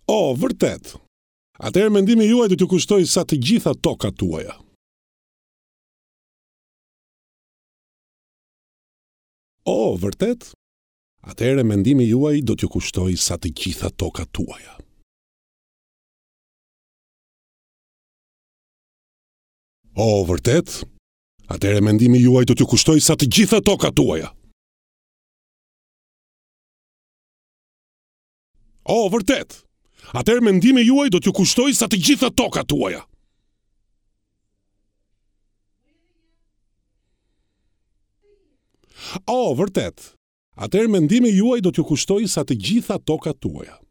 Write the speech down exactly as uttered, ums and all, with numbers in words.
O, vërtet. Atëherë mendimi juaj do t'ju kushtojë sa të gjitha tokat tuaja. O, vërtet? Atëherë mendimi juaj do t'ju kushtojë sa të gjitha tokat tuaja. O, vërtet? Atëherë mendimi juaj do t'ju kushtojë sa të gjitha tokat tuaja. O, vërtet? Atëherë mendimi juaj do t'ju kushtojë sa të gjitha tokat tuaja. O, vërtet. Atëherë mendimi juaj do t'ju kushtojë sa të gjitha tokat tuaja.